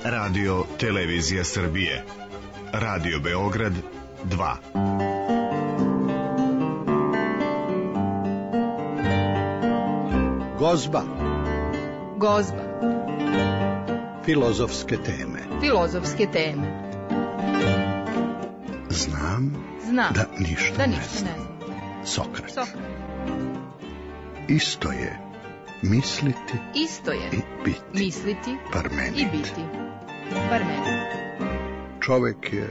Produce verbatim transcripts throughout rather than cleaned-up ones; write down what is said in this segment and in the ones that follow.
Radio Televizija Srbije. Radio Beograd dva. Gozba. Gozba. Filozofske teme. Filozofske teme. Znam, Znam da ništa, da ne, ništa znam. ne znam. Sokrat. Sokrat. Isto je misliti Isto je i biti. misliti Parmenid. i biti. Parmenid. Čovek je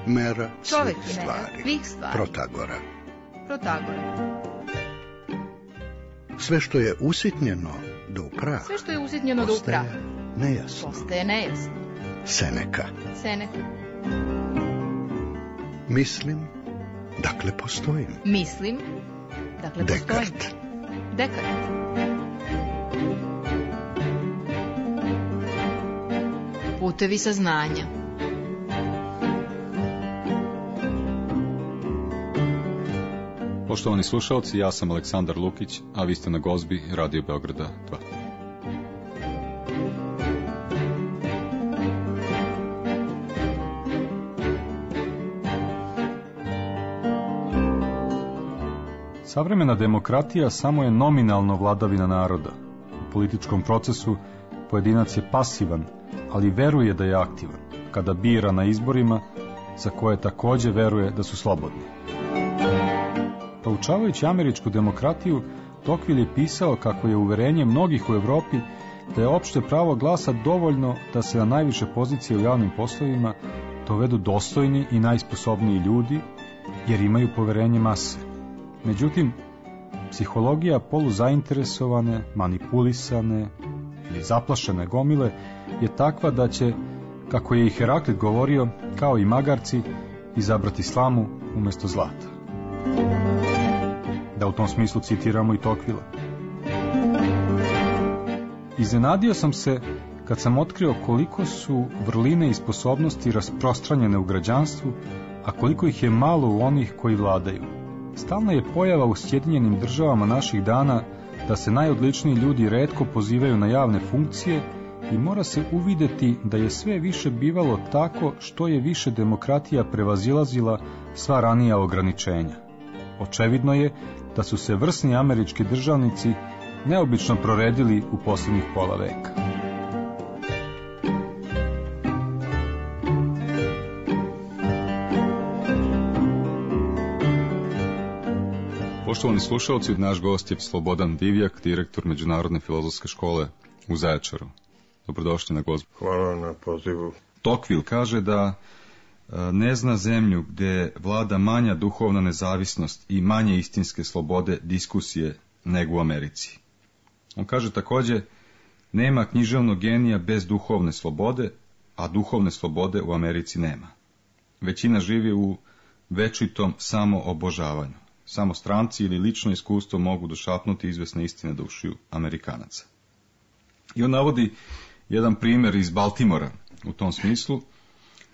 mera Čovek svih je mera stvari. svih stvari. Protagora. Protagora. Sve što je usitnjeno do upraha, Sve što je usitnjeno do upraha nejasno. postaje nejasno. Seneka. Seneka. Mislim, dakle postojim. Mislim, dakle postojim. Dekart. Dekart. Putevi saznanja. Poštovani slušalci, ja sam Aleksandar Lukić, a vi ste na Gozbi Radio Beograda dva. Savremena demokratija samo je nominalno vladavina naroda. U političkom procesu pojedinac je pasivan, ali veruje da je aktivan, kada bira na izborima za koje takođe veruje da su slobodni. Proučavajući američku demokratiju, Tocqueville je pisao kako je uverenje mnogih u Evropi da je opšte pravo glasa dovoljno da se na najviše pozicije u javnim poslovima dovedu dostojni i najsposobniji ljudi, jer imaju poverenje mase. Međutim, psihologija poluzainteresovane, manipulisane ili zaplašene gomile je takva da će, kako je i Heraklit govorio, kao i magarci, izabrati slamu umesto zlata. Da u tom smislu citiramo i Tocquevillea. Iznenadio sam se kad sam otkrio koliko su vrline i sposobnosti rasprostranjene u građanstvu, a koliko ih je malo u onih koji vladaju. Stalna je pojava u Sjedinjenim državama naših dana da se najodličniji ljudi retko pozivaju na javne funkcije i mora se uvideti da je sve više bivalo tako što je više demokratija prevazilazila sva ranija ograničenja. Očevidno je da su se vrsni američki državnici neobično proredili u posljednjih pola veka. Poštovani slušalci, naš gost je Slobodan Divjak, direktor Međunarodne filozofske škole u Zaječaru. Dobrodošli na Gozbu. Hvala na pozivu. Tocqueville kaže da ne zna zemlju gde vlada manja duhovna nezavisnost i manje istinske slobode diskusije nego u Americi. On kaže takođe, nema književnog genija bez duhovne slobode, a duhovne slobode u Americi nema. Većina živi u večitom samoobožavanju. Samo stranci ili lično iskustvo mogu došapnuti izvesne istine do ušiju Amerikanaca. I on navodi jedan primer iz Baltimora u tom smislu.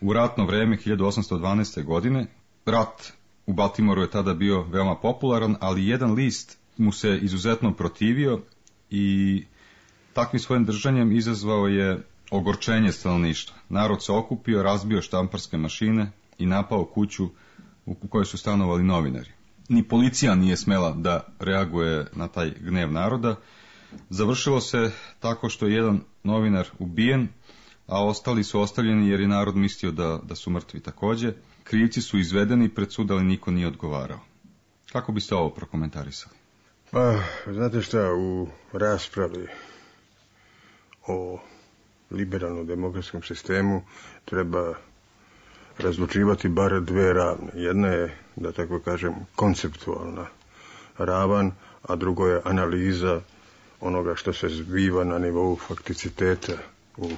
U ratno vreme hiljadu osamsto dvanaeste. godine, rat u Baltimoru je tada bio veoma popularan, ali jedan list mu se izuzetno protivio i takvim svojim držanjem izazvao je ogorčenje stanovništva. Narod se okupio, razbio štamparske mašine i napao kuću u kojoj su stanovali novinari. Ni policija nije smela da reaguje na taj gnev naroda. Završilo se tako što je jedan novinar ubijen, a ostali su ostavljeni jer je narod mislio da, da su mrtvi takođe. Krivci su izvedeni pred sud, ali niko nije odgovarao. Kako biste ovo prokomentarisali? Pa, znate šta, u raspravi o liberalnom demokratskom sistemu treba razlučivati bar dve ravne. Jedna je, da tako kažem, konceptualna ravan, a drugo je analiza onoga što se zbiva na nivou fakticiteta u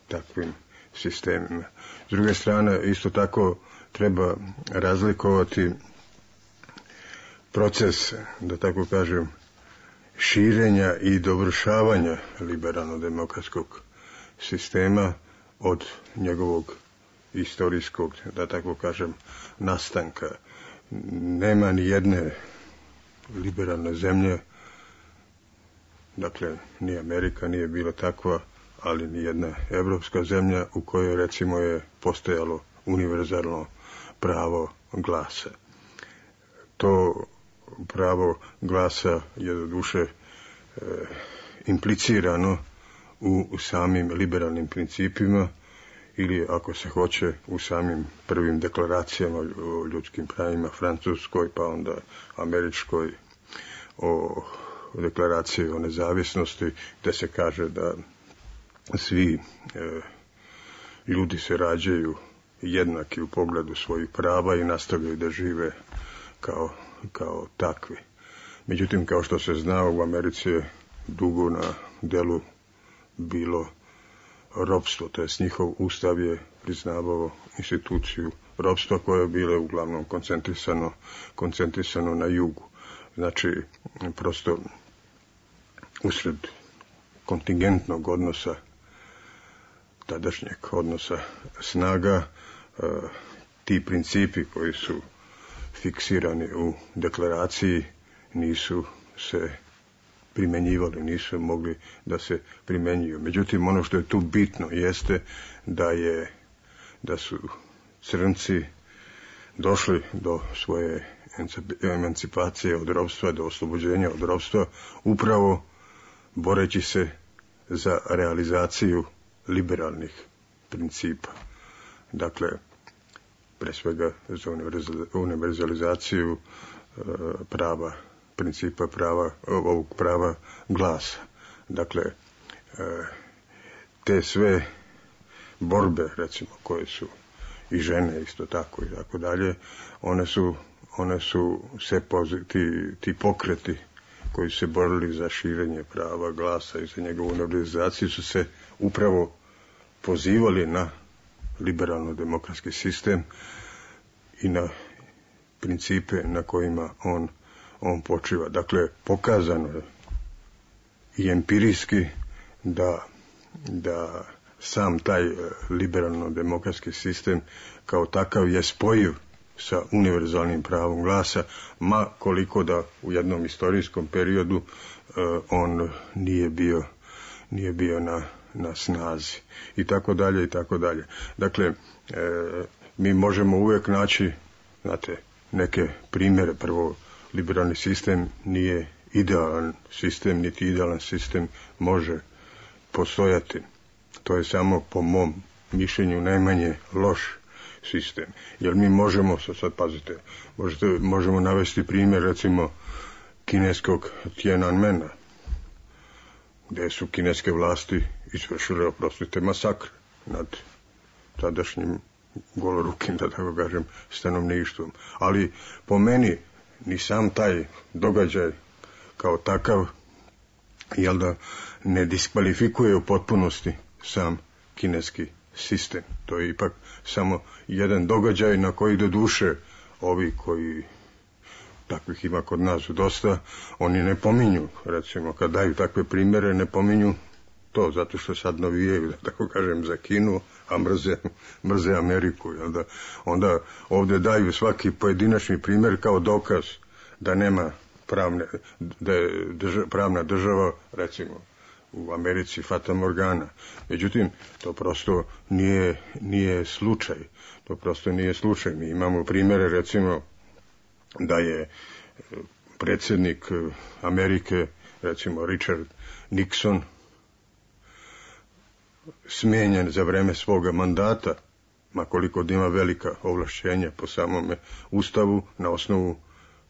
takvim sistemima. S druge strane, isto tako treba razlikovati proces, da tako kažem, širenja i dovršavanja liberalno-demokratskog sistema od njegovog istorijskog, da tako kažem, nastanka. Nema ni jedne liberalne zemlje, dakle, ni Amerika nije bila takva, ali ni jedna evropska zemlja u kojoj recimo je postojalo univerzalno pravo glasa. To pravo glasa je do duše e, implicirano u, u samim liberalnim principima ili, ako se hoće, u samim prvim deklaracijama o ljudskim pravima, francuskoj, pa onda američkoj, o deklaraciji o nezavisnosti, gde se kaže da svi e, ljudi se rađaju jednaki u pogledu svojih prava i nastavljaju da žive kao, kao takvi. Međutim, kao što se zna, u Americi je dugo na delu bilo ropstvo, to jest njihov ustav je priznavao instituciju ropstva koja je bila uglavnom koncentrisano, koncentrisano na jugu. Znači, prosto usred kontingentnog odnosa, tadašnjeg odnosa snaga, ti principi koji su fiksirani u deklaraciji nisu se primenjivali, nisu mogli da se primenjuju. Međutim, ono što je tu bitno jeste da je da su crnci došli do svoje emancipacije od ropstva, do oslobođenja od ropstva, upravo boreći se za realizaciju liberalnih principa. Dakle, pre svega za univerzalizaciju e, prava, principa prava, ovog prava glasa. Dakle, e, te sve borbe, recimo, koje su i žene isto tako i tako dalje, one su, one su sve ti, ti pokreti koji su se borili za širenje prava glasa i za njegovu univerzalizaciju su se upravo pozivali na liberalno-demokratski sistem i na principe na kojima on, on počiva. Dakle, pokazano je i empirijski da, da sam taj liberalno-demokratski sistem kao takav je spojiv sa univerzalnim pravom glasa, ma koliko da u jednom istorijskom periodu uh, on nije bio, nije bio na, na snazi. I tako dalje, i tako dalje. Dakle, e, mi možemo uvijek naći, znate, neke primjere. Prvo, liberalni sistem nije idealan sistem, niti idealan sistem može postojati. To je samo, po mom mišljenju, najmanje loš sistem. Jer mi možemo, sad pazite, možete, možemo navesti primjer, recimo, kineskog Tiananmena, gdje su kineske vlasti izvršile, oprostite, masakr nad tadašnjim golorukim, da tako kažem, stanovništvom. Ali po meni ni sam taj događaj kao takav, jel da, ne diskvalifikuje u potpunosti sam kineski sistem. To je ipak samo jedan događaj na koji do duše ovi koji, takvih ima kod nas dosta, oni ne pominju, recimo, kad daju takve primjere, ne pominju to, zato što sad navijaju, da tako kažem, za Kinu, a mrze, mrze Ameriku. Onda, onda ovdje daju svaki pojedinačni primjer kao dokaz da nema pravne, da je drža, pravna država, recimo, u Americi Fata Morgana. Međutim, to prosto nije, nije slučaj. To prosto nije slučaj. Mi imamo primjere, recimo, da je predsjednik Amerike, recimo Richard Nixon, smijenjen za vreme svoga mandata, makoliko ima velika ovlašćenja po samome ustavu, na osnovu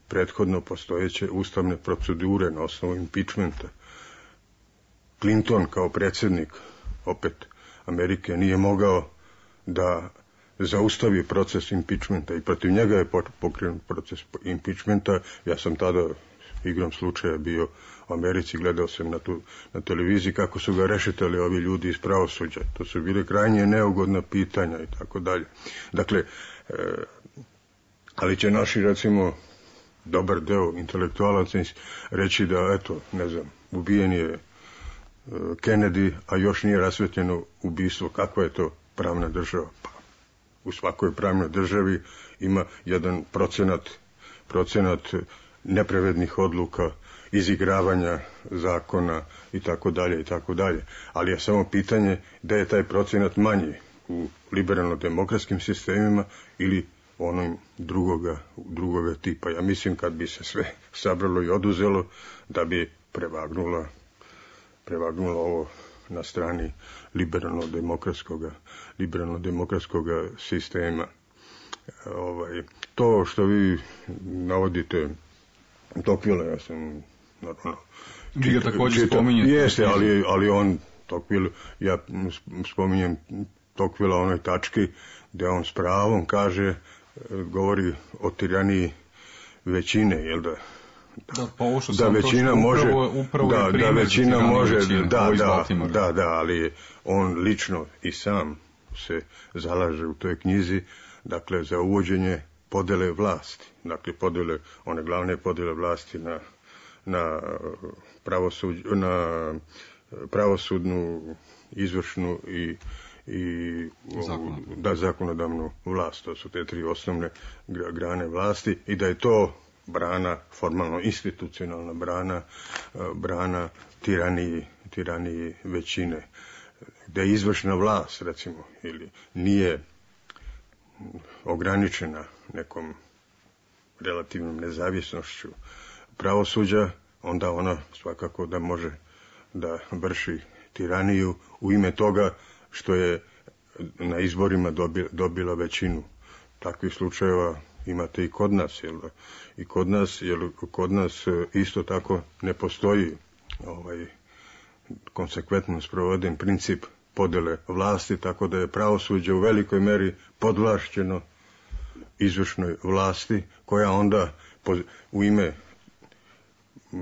prethodno postojeće ustavne procedure, na osnovu impeachmenta. Clinton kao predsjednik, opet, Amerike nije mogao da zaustavi proces impeachmenta i protiv njega je pokrenut proces impeachmenta. Ja sam tada igrom slučaja bio u Americi, gledao sam na, tu, na televiziji kako su ga rešetali ovi ljudi iz pravosuđa. To su bile krajnje neugodna pitanja i tako dalje. Dakle, e, ali će naši, recimo, dobar deo intelektualaca reći da, eto, ne znam, ubijen je Kennedy, a još nije rasvetljeno ubistvo. Kakva je to pravna država? Pa, u svakoj pravnoj državi ima jedan procenat, procenat nepravednih odluka izigravanja zakona i tako dalje i tako dalje. Ali je samo pitanje da je taj procenat manji u liberalno-demokratskim sistemima ili onom drugoga, drugoga tipa. Ja mislim kad bi se sve sabralo i oduzelo da bi prevagnula, prevagnula ovo na strani liberalno-demokratskoga, liberalno-demokratskoga sistema. Ovaj, to što vi navodite Tocqueville, ja sam normalno vi ga također spominjete. Jeste, ali, ali on Tocqueville, ja spominjem Tocqueville o onoj tački gdje on s pravom kaže, govori o tiraniji većine, jel da? Da, pa ovo što da sam većina to može, upravo, upravo da, da većina može, većine, da, da, da, da, ali on lično i sam se zalaže u toj knjizi, dakle, za uvođenje podele vlasti, dakle, podele, one glavne podele vlasti na, na, pravosuđ, na pravosudnu, izvršnu i i zakonodavnu. Da, zakonodavnu vlast, to su te tri osnovne grane vlasti i da je to brana, formalno institucionalna brana, brana tiraniji, tiraniji većine. Da je izvršna vlast, recimo, ili nije ograničena nekom relativnom nezavisnošću pravosuđa, onda ona svakako da može da vrši tiraniju u ime toga što je na izborima dobila većinu. Takvih slučajeva imate i kod nas, jel? I kod nas, jel, kod nas isto tako ne postoji ovaj konsekventno sproveden princip podele vlasti, tako da je pravosuđe u velikoj meri podvlašćeno izvršnoj vlasti, koja onda u ime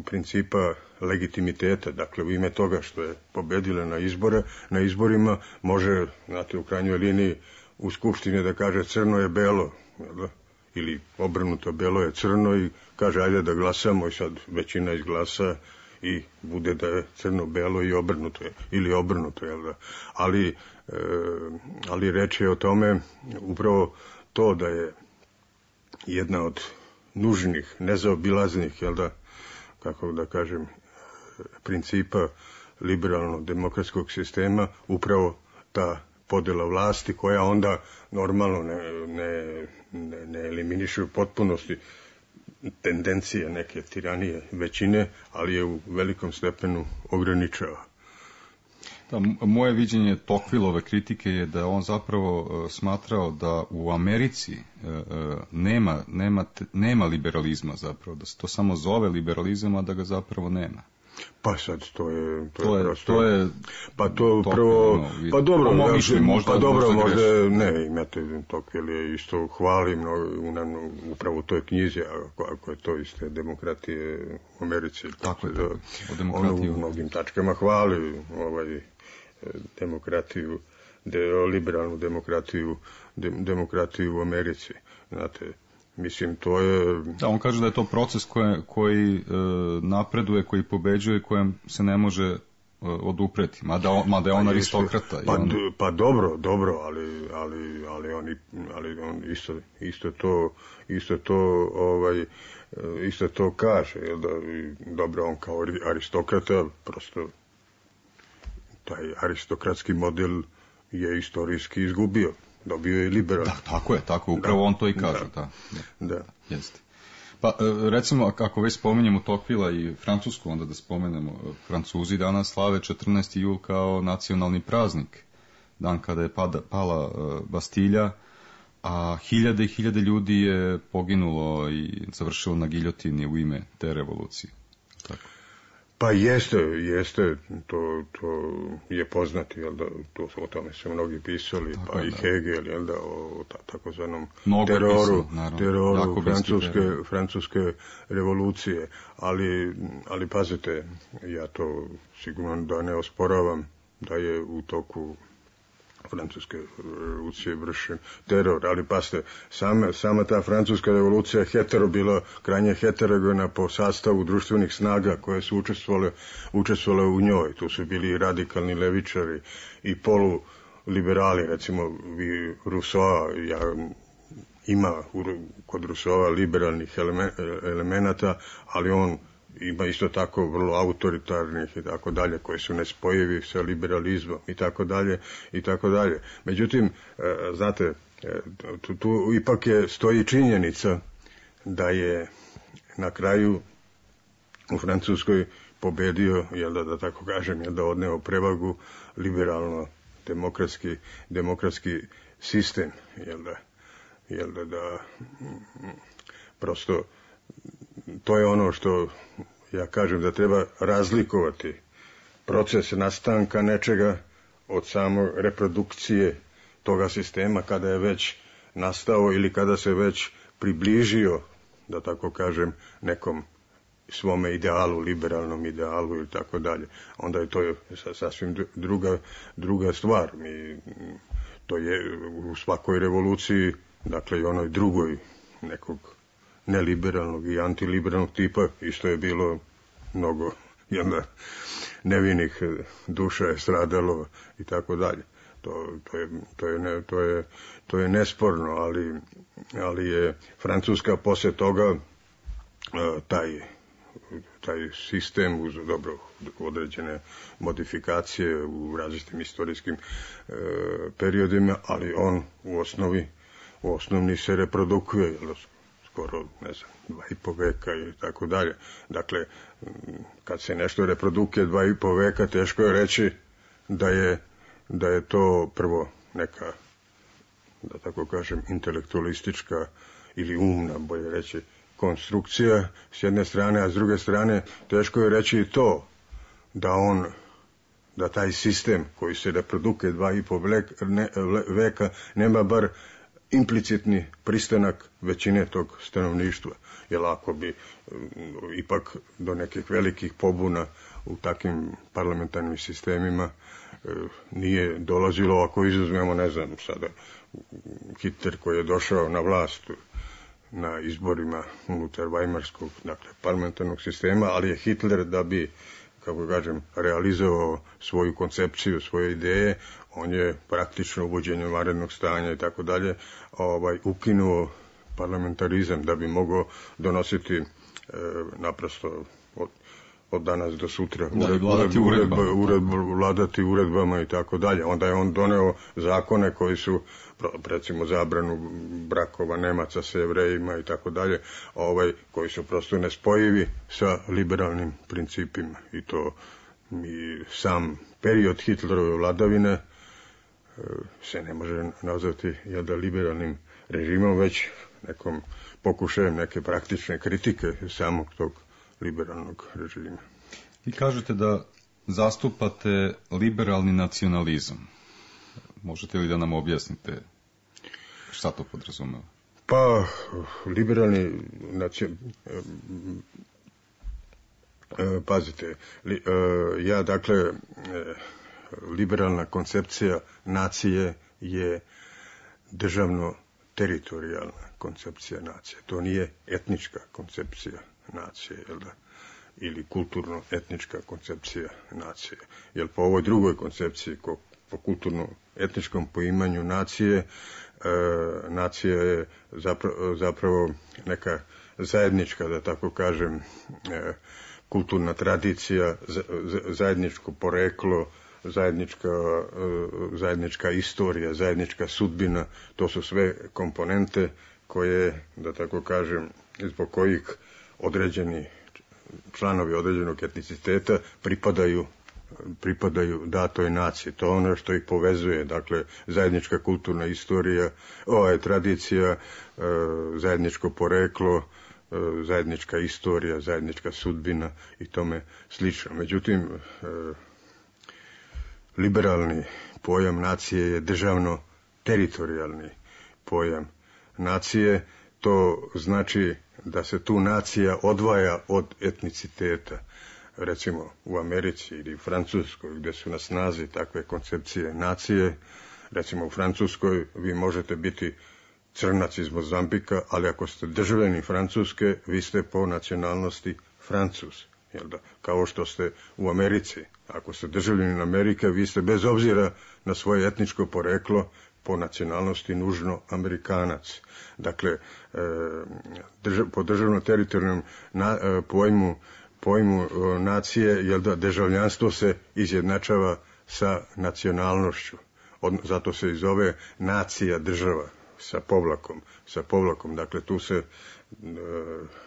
principa legitimiteta, dakle u ime toga što je pobedila na izbore, na izborima može, znate, u krajnjoj liniji u skupštini da kaže crno je belo, jel? Ili obrnuto, belo je crno i kaže ajde da glasamo i sad većina izglasa i bude da je crno belo i obrnuto je, ili obrnuto, jel da? Ali, e, ali reč je o tome upravo to da je jedna od nužnih, nezaobilaznih, jel da, kako da kažem, principa liberalno-demokratskog sistema upravo ta podjela vlasti koja onda normalno ne, ne, ne, ne eliminiše u potpunosti tendencije neke tiranije većine, ali je u velikom stepenu ograničava. Da, moje viđenje Tocquevilleove kritike je da on zapravo uh, smatrao da u Americi uh, uh, nema, nema, nema liberalizma zapravo, da se to samo zove liberalizam, a da ga zapravo nema. Pa sad to je to, to je, je, prosto, to je pa to prvo no, pa dobro da, možda, možda pa dobro možda, možda ne imate Tocqueville je isto hvalim no, u, upravo u toj knjizi ako, ako je to iste demokratije u Americi tako je da, o demokratiji u mnogim tačkama hvali ovaj demokratiju de, liberalnu demokratiju de, demokratiju u Americi, znate. Mislim, to je... Da, on kaže da je to proces koje, koji e, napreduje, koji pobeđuje, kojem se ne može e, odupreti. Mada, on, mada je on pa aristokrata. Pa, on... pa dobro, dobro, ali, ali, ali, on, ali on isto, isto to, isto to, ovaj, isto to kaže. Jel da, dobro, on kao aristokrata, prosto taj aristokratski model je istorijski izgubio. Dobio je liberalno. Da, tako je, tako je, upravo da, on to i kaže, da. Da. da. Jeste. Pa, recimo, ako već spomenemo Tocquevillea i Francusku, onda da spomenemo, Francuzi danas slave četrnaesti jul kao nacionalni praznik, dan kada je pada, pala Bastilja, a hiljade i hiljade ljudi je poginulo i završilo na giljotini u ime te revolucije. Tako. Pa jeste, jeste, to, to je poznati, jel da, to, o tome su mnogi pisali, tako pa je, i da. Hegel, jel da, o ta, takozvanom teroru, pisao, teroru francuske, francuske revolucije, ali, ali pazite, ja to sigurno da ne osporavam da je u toku francuske revolucije vršen teror, ali pasite, sama, sama ta francuska revolucija je hetero bila, krajnje heterogena po sastavu društvenih snaga koje su učestvovale, učestvovale u njoj. Tu su bili radikalni levičari i poluliberali, recimo vi Rousseau, ja, ima u, kod Rousseau liberalnih elemenata, ali on ima isto tako vrlo autoritarnih i tako dalje, koji su nespojivi sa liberalizmom i tako dalje i tako dalje. Međutim, znate, tu, tu ipak je stoji činjenica da je na kraju u Francuskoj pobedio, jel da, da tako kažem, jel da odneo prevagu liberalno demokratski, demokratski sistem, jel da, jel da, da prosto to je ono što ja kažem da treba razlikovati proces nastanka nečega od samo reprodukcije toga sistema kada je već nastao ili kada se već približio, da tako kažem, nekom svome idealu, liberalnom idealu ili tako dalje. Onda je to sasvim druga, druga stvar. Mi, to je u svakoj revoluciji, dakle i onoj drugoj nekog neliberalnog i antiliberalnog tipa, isto je bilo mnogo jedna, nevinih duša je stradalo i tako dalje. To, to, je, to, je, ne, to, je, to je nesporno, ali, ali je Francuska posle toga taj, taj sistem uz dobro određene modifikacije u različitim istorijskim e, periodima, ali on u osnovi u osnovni se reprodukuje, jel, skoro, ne znam, dva i po veka i tako dalje. Dakle, kad se nešto reprodukuje dva i po veka, teško je reći da je, da je to prvo neka, da tako kažem, intelektualistička ili umna, bolje reći, konstrukcija s jedne strane, a s druge strane teško je reći i to da on, da taj sistem koji se reprodukuje dva i po veka nema bar implicitni pristanak većine tog stanovništva. Jer ako bi um, ipak do nekih velikih pobuna u takvim parlamentarnim sistemima uh, nije dolazilo, ako izuzmemo, ne znam, sada Hitler koji je došao na vlast na izborima unutar Weimarskog, dakle, parlamentarnog sistema, ali je Hitler, da bi, kako kažem, realizovao svoju koncepciju, svoje ideje, on je praktično uvođenjem vanrednog stanja i tako dalje, ovaj, ukinuo parlamentarizam da bi mogao donositi e, naprosto od, od danas do sutra da, ured, vladati, uredba, uredbama. uredba, vladati uredbama i tako dalje. Onda je on doneo zakone koji su, recimo, zabranu brakova Nemaca sa Jevrejima i tako dalje, ovaj, koji su prosto nespojivi sa liberalnim principima. I to mi sam period Hitlerove vladavine se ne može nazvati, jel da, liberalnim režimom, već nekom pokušajem neke praktične kritike samog tog liberalnog režima. Vi kažete da zastupate liberalni nacionalizam. Možete li da nam objasnite šta to podrazumeva? Pa, liberalni nacionalizam, pazite, li, ja, dakle, liberalna koncepcija nacije je državno teritorijalna koncepcija nacije. To nije etnička koncepcija nacije, jel da? Ili kulturno-etnička koncepcija nacije. Jer po ovoj drugoj koncepciji, ko, po kulturno-etničkom poimanju nacije, e, nacija je zapravo, zapravo neka zajednička, da tako kažem, e, kulturna tradicija, zajedničko poreklo, zajednička, zajednička istorija, zajednička sudbina, to su sve komponente koje, da tako kažem, zbog kojih određeni članovi određenog etniciteta pripadaju, pripadaju datoj naciji. To je ono što ih povezuje, dakle, zajednička kulturna istorija, ova je tradicija, zajedničko poreklo, zajednička istorija, zajednička sudbina i tome slično. Međutim, liberalni pojam nacije je državno teritorijalni pojam nacije. To znači da se tu nacija odvaja od etniciteta. Recimo u Americi ili u Francuskoj, gdje su na snazi takve koncepcije nacije, recimo u Francuskoj vi možete biti crnac iz Mozambika, ali ako ste državljani Francuske, vi ste po nacionalnosti Francuz. Jel da? Kao što ste u Americi. Ako ste državljanin Amerike, vi ste bez obzira na svoje etničko poreklo po nacionalnosti nužno Amerikanac. Dakle, e, držav, po državno-teritorijalnom e, pojmu pojmu nacije, jer da državljanstvo se izjednačava sa nacionalnošću. Od, zato se i zove nacija država sa povlakom, sa povlakom. Dakle, tu se e,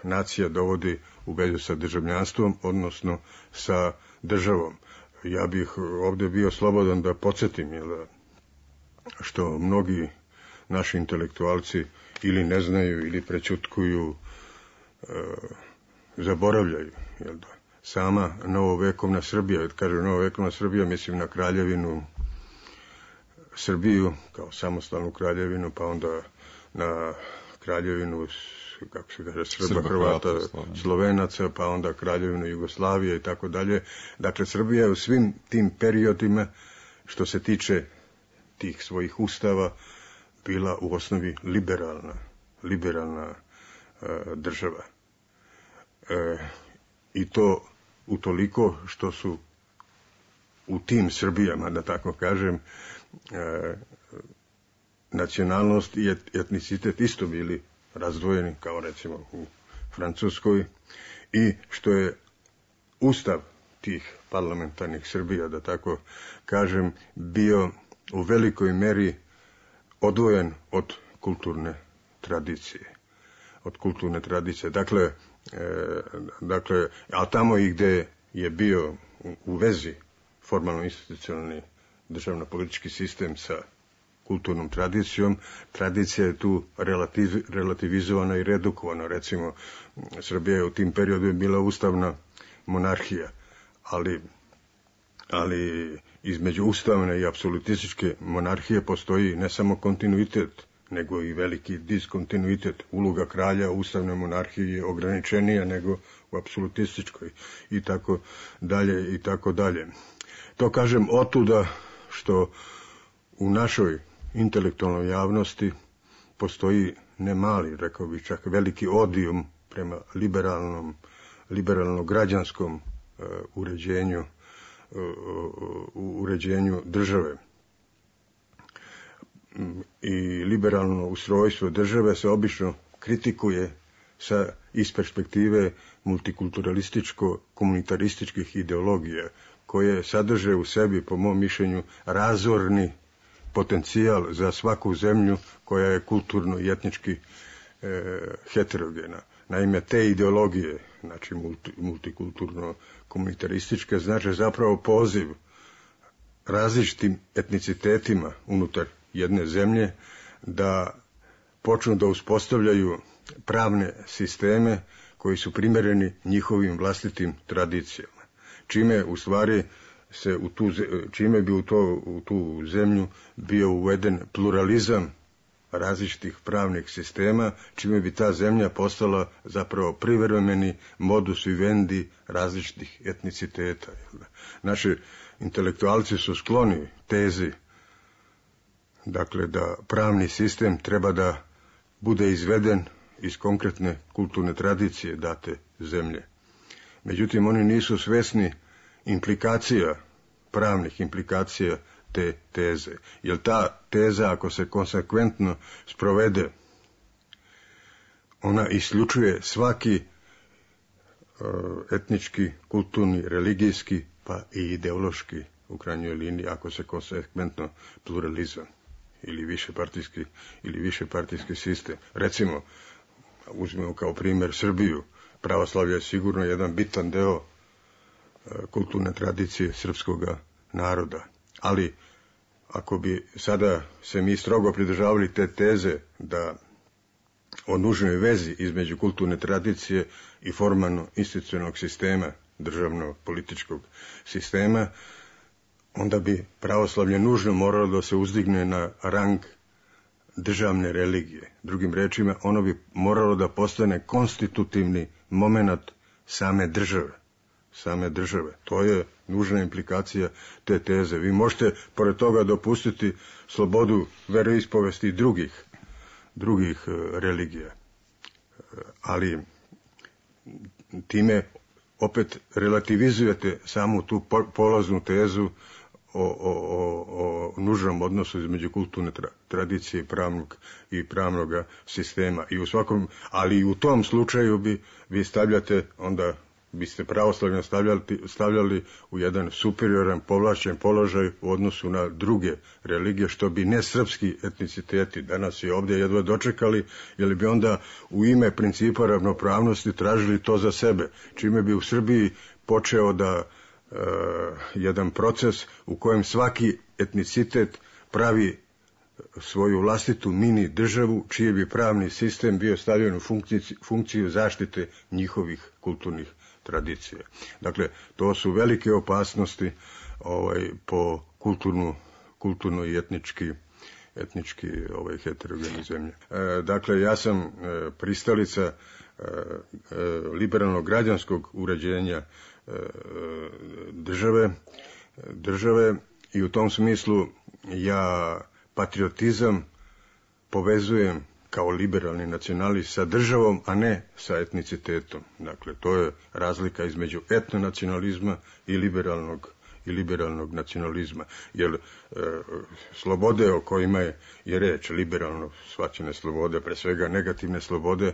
nacija dovodi u vezu sa državljanstvom, odnosno sa državom. Ja bih ovdje bio slobodan da podsjetim, jel da, što mnogi naši intelektualci ili ne znaju, ili prećutkuju, e, zaboravljaju, jel da. Sama novovekovna Srbija, kad kažem novovekovna Srbija, mislim na kraljevinu Srbiju kao samostalnu kraljevinu, pa onda na kraljevinu, kako se kaže, Srba, Srba Hrvata, Slovenaca, pa onda kraljevinu Jugoslavije i tako dalje. Dakle, Srbija je u svim tim periodima, što se tiče tih svojih ustava, bila u osnovi liberalna, liberalna e, država. E, I to utoliko što su u tim Srbijama, da tako kažem, e, nacionalnost i etnicitet isto bili razdvojeni, kao recimo u Francuskoj, i što je ustav tih parlamentarnih Srbija, da tako kažem, bio u velikoj meri odvojen od kulturne tradicije. Od kulturne tradicije. Dakle, e, dakle, a tamo i gde je bio u, u vezi formalno-institucionalni državno-politički sistem sa kulturnom tradicijom, tradicija je tu relativ, relativizovana i redukovana. Recimo, Srbija je u tim periodu je bila ustavna monarhija, ali, ali između ustavne i apsolutističke monarhije postoji ne samo kontinuitet, nego i veliki diskontinuitet. Uloga kralja u ustavnoj monarhiji je ograničenija nego u apsolutističkoj i tako dalje i tako dalje. To kažem otuda što u našoj intelektualnoj javnosti postoji ne mali, rekao bih čak veliki odijum prema liberalnom, liberalno-građanskom uh, uređenju, uh, uređenju države. I liberalno ustrojstvo države se obično kritikuje sa iz perspektive multikulturalističko-komunitarističkih ideologija, koje sadrže u sebi, po mom mišljenju, razorni potencijal za svaku zemlju koja je kulturno i etnički e, heterogena. Naime, te ideologije, znači multi, multikulturno-komunitarističke, znači zapravo poziv različitim etnicitetima unutar jedne zemlje da počnu da uspostavljaju pravne sisteme koji su primjereni njihovim vlastitim tradicijama. Čime u stvari se u tu, čime bi u, to, u tu zemlju bio uveden pluralizam različitih pravnih sistema, čime bi ta zemlja postala zapravo privremeni modus vivendi različitih etniciteta. Naši intelektualci su skloni tezi, dakle, da pravni sistem treba da bude izveden iz konkretne kulturne tradicije date zemlje. Međutim, oni nisu svesni implikacija, pravnih implikacija te teze. Jer ta teza, ako se konsekventno sprovede, ona isključuje svaki uh, etnički, kulturni, religijski, pa i ideološki, u krajnjoj liniji, ako se konsekventno pluralizam ili višepartijski ili višepartijski sistem. Recimo, uzmemo kao primjer Srbiju, pravoslavlje je sigurno jedan bitan deo kulturne tradicije srpskog naroda. Ali ako bi sada se mi strogo pridržavali te teze da o nužnoj vezi između kulturne tradicije i formalno institucionalnog sistema, državno-političkog sistema, onda bi pravoslavlje nužno moralo da se uzdigne na rang državne religije. Drugim rečima, ono bi moralo da postane konstitutivni moment same države. same države. To je nužna implikacija te teze. Vi možete pored toga dopustiti slobodu veroispovesti drugih, drugih religija. Ali time opet relativizujete samu tu polaznu tezu o, o, o, o nužnom odnosu između kulturne tra, tradicije i pravnog, i pravnog sistema. I u svakom, ali i u tom slučaju bi vi stavljate onda biste pravoslavlje stavljali, stavljali u jedan superioran, povlašćen položaj u odnosu na druge religije, što bi nesrpski etniciteti danas i ovdje jedva dočekali, jer bi onda u ime principa ravnopravnosti tražili to za sebe, čime bi u Srbiji počeo da e, jedan proces u kojem svaki etnicitet pravi svoju vlastitu mini državu, čiji bi pravni sistem bio stavljen u funkciju, funkciju zaštite njihovih kulturnih tradicija. Dakle, to su velike opasnosti ovaj, po kulturnu, kulturno i etnički, etnički ovaj, heterogene zemlje. E, dakle, ja sam e, pristalica e, e, liberalnog građanskog uređenja e, države, države i u tom smislu ja patriotizam povezujem kao liberalni nacionalist sa državom, a ne sa etnicitetom. Dakle, to je razlika između etnonacionalizma i liberalnog, i liberalnog nacionalizma. Jer e, slobode o kojima je, je reč, liberalno shvaćene slobode, pre svega negativne slobode,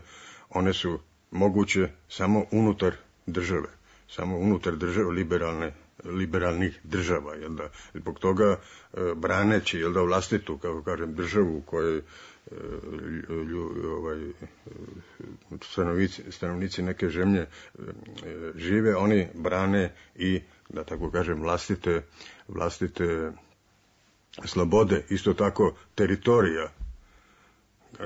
one su moguće samo unutar države. Samo unutar države liberalne liberalnih država, jel da, zbog toga e, braneći, jel da, vlastitu, kako kažem, državu u kojoj e, lju, ovaj, stanovnici, stanovnici neke zemlje e, žive, oni brane i, da tako kažem, vlastite, vlastite slobode, isto tako teritorija,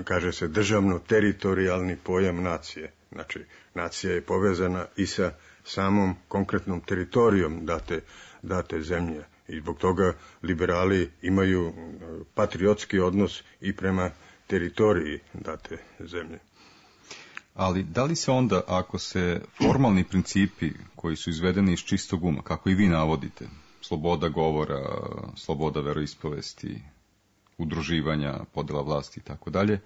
kaže se državno-teritorijalni pojam nacije, znači nacija je povezana i sa samom konkretnom teritorijom date, date zemlje. I zbog toga liberali imaju patriotski odnos i prema teritoriji date zemlje. Ali da li se onda, ako se formalni principi koji su izvedeni iz čistog uma, kako i vi navodite, sloboda govora, sloboda veroispovesti, udruživanja, podela vlasti i tako dalje,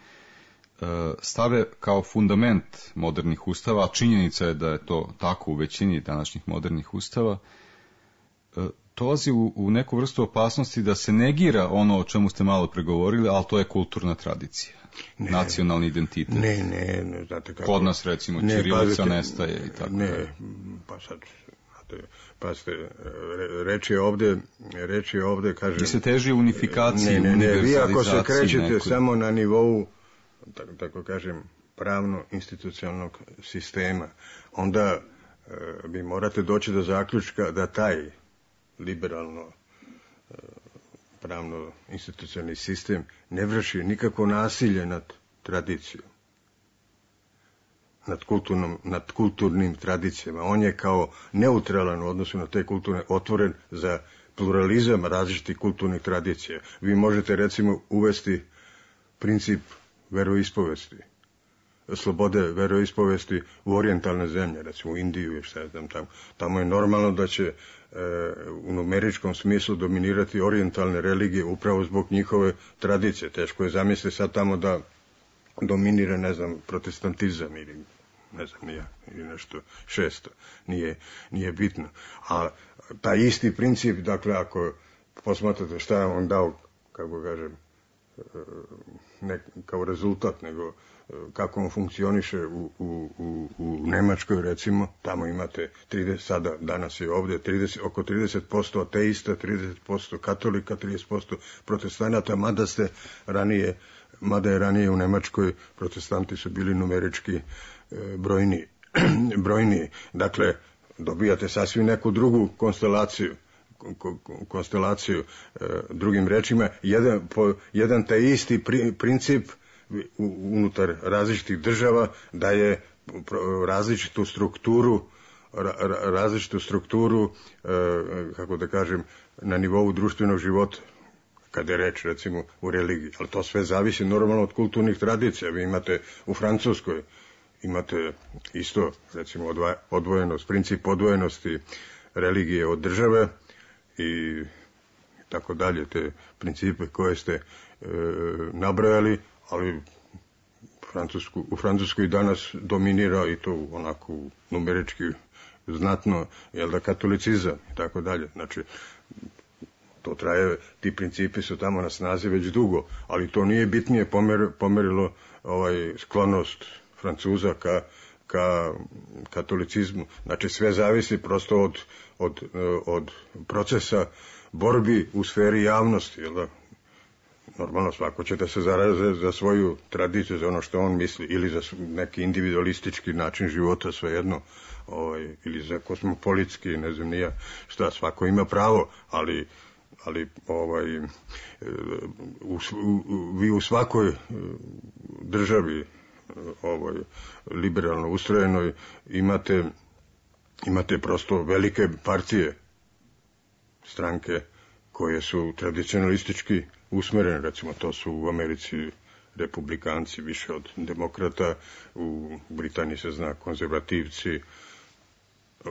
stave kao fundament modernih ustava, a činjenica je da je to tako u većini današnjih modernih ustava, dolazi u, u neku vrstu opasnosti da se negira ono o čemu ste malo pregovorili, ali to je kulturna tradicija, ne, nacionalni identitet. Ne, ne, ne, znate kako. Kod nas, recimo, ne, ćirilica nestaje i tako. Ne, pa sad, znate, pa ste, reč je ovde, reč je ovde, kažem... I se teži unifikaciji, ne, ne, ne, vi ako se krećete nekoj... samo na nivou, tako, tako kažem, pravno-institucionalnog sistema, onda e, vi morate doći do zaključka da taj liberalno e, pravno-institucionalni sistem ne vrši nikako nasilje nad tradicijom, nad, kulturnom, nad kulturnim tradicijama. On je kao neutralan u odnosu na te kulturne, otvoren za pluralizam različitih kulturnih tradicija. Vi možete, recimo, uvesti princip veroispovesti, slobode veroispovesti u orijentalne zemlje, recimo u Indiju i šta je tam, tamo. Tamo je normalno da će e, u numeričkom smislu dominirati orijentalne religije upravo zbog njihove tradicije. Teško je zamisliti sad tamo da dominira, ne znam, protestantizam ili ne znam ja, ili nešto šesto. Nije, nije bitno. A taj isti princip, dakle, ako posmatrate šta je on dao, kako kažem, ne kao rezultat, nego kako on funkcioniše u, u, u, u Nemačkoj, recimo, tamo imate trideset, sada, danas je ovdje trideset, oko trideset posto ateista, trideset posto katolika, trideset posto protestanata, mada ste ranije, mada je ranije u Nemačkoj protestanti su bili numerički e, brojni, brojni. Dakle, dobijate sasvim neku drugu konstelaciju, konstelaciju e, drugim rečima, jedan, po, jedan taj isti pri, princip u, unutar različitih država daje različitu strukturu ra, različitu strukturu e, kako da kažem, na nivou društvenog života, kada je reč, recimo, u religiji. Ali to sve zavisi normalno od kulturnih tradicija. Vi imate u Francuskoj imate isto, recimo, odva, odvojenost, princip odvojenosti religije od države i tako dalje, te principe koje ste e, nabrojali, ali Francusku, u Francuskoj danas dominira i to onako numerički znatno, jel da, katolicizam i tako dalje. Znači, to traje, ti principi su tamo na snazi već dugo, ali to nije bitnije pomer, pomerilo ovaj sklonost Francuza ka ka katolicizmu. Znači sve zavisi prosto od, od, od procesa borbi u sferi javnosti, jel da? Normalno svako će da se zaraze za svoju tradiciju, za ono što on misli, ili za neki individualistički način života, svejedno, ovaj, ili za kosmopolitski, ne znam nija šta, svako ima pravo, ali, ali ovaj, u, u, vi u svakoj državi ovaj, liberalno ustrojenoj imate, imate prosto velike partije, stranke koje su tradicionalistički usmerene, recimo to su u Americi republikanci više od demokrata, u Britaniji se zna konzervativci,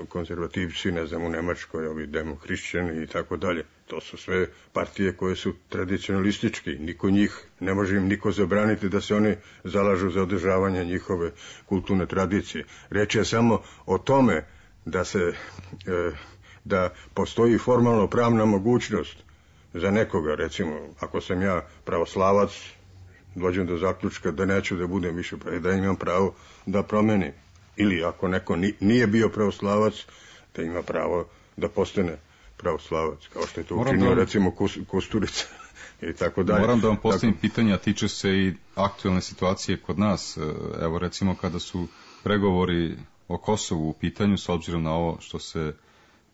konzervativci, ne znam, u Nemačkoj ovi demohrišćani i tako dalje. To su sve partije koje su tradicionalistički, niko njih, ne može im niko zabraniti da se oni zalažu za održavanje njihove kulturne tradicije. Reč je samo o tome da se e, da postoji formalno pravna mogućnost za nekoga, recimo, ako sam ja pravoslavac, dođem do zaključka da neću da budem više, da imam pravo da promenim. Ili ako neko nije bio pravoslavac, da ima pravo da postane pravoslavac, kao što je to Moram učinio, da... recimo, Kusturica i tako dalje. Moram da vam postavim tako... pitanja, tiče se i aktualne situacije kod nas. Evo, recimo, kada su pregovori o Kosovu u pitanju, s obzirom na ovo što se